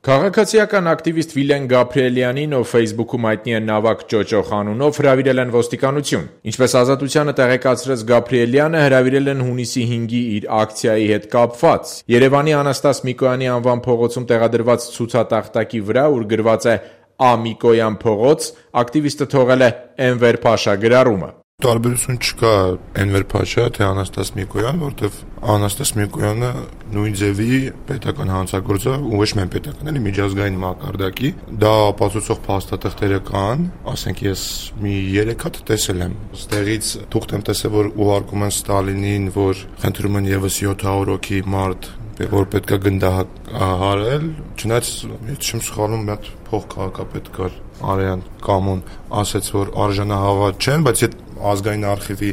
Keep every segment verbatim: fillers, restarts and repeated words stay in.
Քաղաքացիական ակտիվիստ Վիլեն Գաբրիելյանին, ով Facebook-ում հայտնի է Նավակ Ճոճոխ անունով, հրավիրել են ոստիկանություն։ Ինչպես Ազատությանը տեղեկացրեց Գաբրիելյանը, հրավիրել են հունիսի հինգի իր ակցիայի հետ կապված։ Երևանի Անաստաս Միկոյանի անվան փողոցում տեղադրված ցուցատախտակի վրա, ուր գրված է «Ա. Միկոյան փողոց», ակտիվիստը թողել է Էնվեր Փաշա գրառումը։ Տարբերություն չկա Էնվեր Փաշա թե Անաստաս Միկոյան, որտեվ Անաստաս Միկոյանը նույն ձևի պետական հանցագործ է, ու ոչ միայն պետական, էլի միջազգային մակարդակի, դա ապացուցող փաստաթղթերը կան, ասենք ես մի երեք հատ տեսել եմ։ Ստեղից թուղթ եմ տեսել, որ ուղարկում են Ստալինին, որ խնդրում են եւս յոթ հարյուր հոգի մարդ, որ պետք է գնդահարել, չնայած չեմ սխալվում, մի հատ փոխքաղաքապետ կար Արեան Կամոն, ասաց, որ արժանահավատ չեն, բայց այդ ազգային արխիվի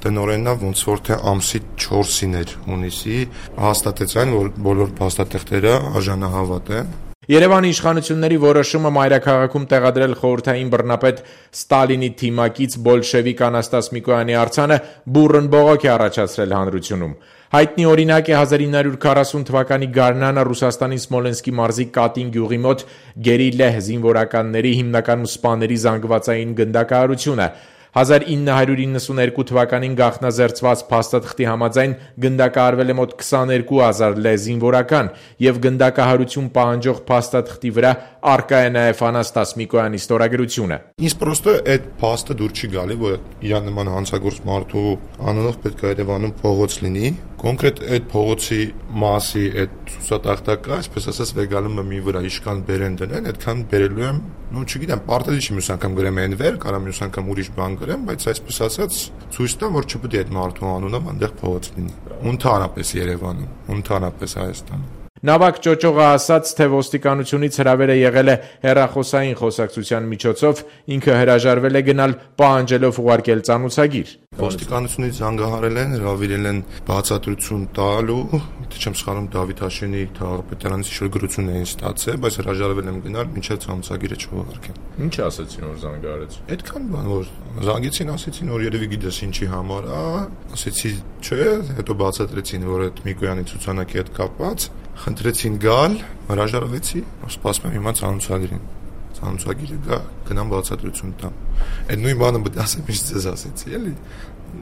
տնօրենն է, ոնց որ թե ամսի չորսին էր հունիսի, հաստատեց այն, որ բոլոր փաստաթղթերը արժանահավատ են։ Երևանի իշխանությունների որոշումը մայրաքաղաքում տեղադրել խորհրդային բռնապետ Ստալինի թիմակից բոլշևիկ Անաստաս Միկոյանի արձանը բուռն բողոք է առաջացրել հանրությունում։ Հայտնի օրինակ է հազար ինը հարյուր քառասուն թվականի գարնանը Ռուսաստանի Սմոլենսկի մարզի Կատին գյուղի մոտ գերիլլա զինվորականների, հիմնականում սպաների զանգվածային գնդակահարությունը։ հազար ինը հարյուր իննսունհերկու թվականին գաղտնազերծված փաստաթղթի համաձայն գնդակահարվել է մոտ քսաներկու հազար լե զինվորական եւ գնդակահարություն պահանջող փաստաթղթի վրա առկա է նաեւ Անաստաս Միկոյանի ստորագրությունը։ Ինձ պրոստը այդ փաստը դուր չի գալի, որ իրան նման հանցագործ մարդու անունով պետք է Երևանում փողոց լինի։ Կոնկրետ այդ փողոցի մասի այդ ցուցատախտակը, այսպես ասած, վեգալումը մի վրա իշքան բերեն դնեն, այդքան բերելու եմ, ну չգիտեմ, պարտադիր չի մյուս անգամ գրեմ Էնվեր, կարամ մյուս անգամ ուրիշ բան գրեմ, բայց այսպես ասած ցույց տամ, որ չպետք է այդ մարդու անունով այնտեղ փողոց լինի։ Ընդհանրապես Երևանում, ընդհանրապես Հայաստանում։ Նավակ Ճոճողը ասաց, թե ոստիկանությունից հրավերը եղել է հեռախոսային խոսակցության միջոցով, ինքը հրաժարվել է գնալ, պահանջելով ուղարկել ծանուցագիր։ Ոստիկանությունից զանգահարել են, հրավիրել են բացատրություն տալու, թե չեմ սխալվում Դավիթ Հաշյանի թաղապետարանից ինչ-որ գրություն էին ստացել, բայց հրաժարվել եմ գնալ, մինչև ծանուցագիրը չուղարկեն։ Ինչ ասացին, որ զանգահարեց։ Այդքան բան, որ զանգեցին, ասեցին, որ երևի գիտես ինչի համար, ա, ասեցի, չէ, հետո բացատրեցին, որ այդ Միկոյանի ցուցանակի հետ կապված խնդրեցին գալ, հրաժարվեցի, սպասում եմ հիմա ծանուցագիրին։ Ծանուցագիրը գա, գնամ բացատրություն տամ։ Այդ նույն բանը պետք է ասեմ, ինչ ձեզ ասեցի, էլի։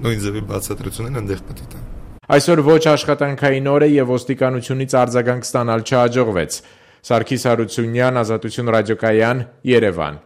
Նույն ձևի բացատրությունն այնտեղ պետք է տամ։ Այսօր ոչ աշխատանքային օր է եւ ոստիկանությունից արձագանք ստանալ չհաջողվեց։ Սարգիս Հարությունյան, Ազատություն ռադիոկայան, Երևան։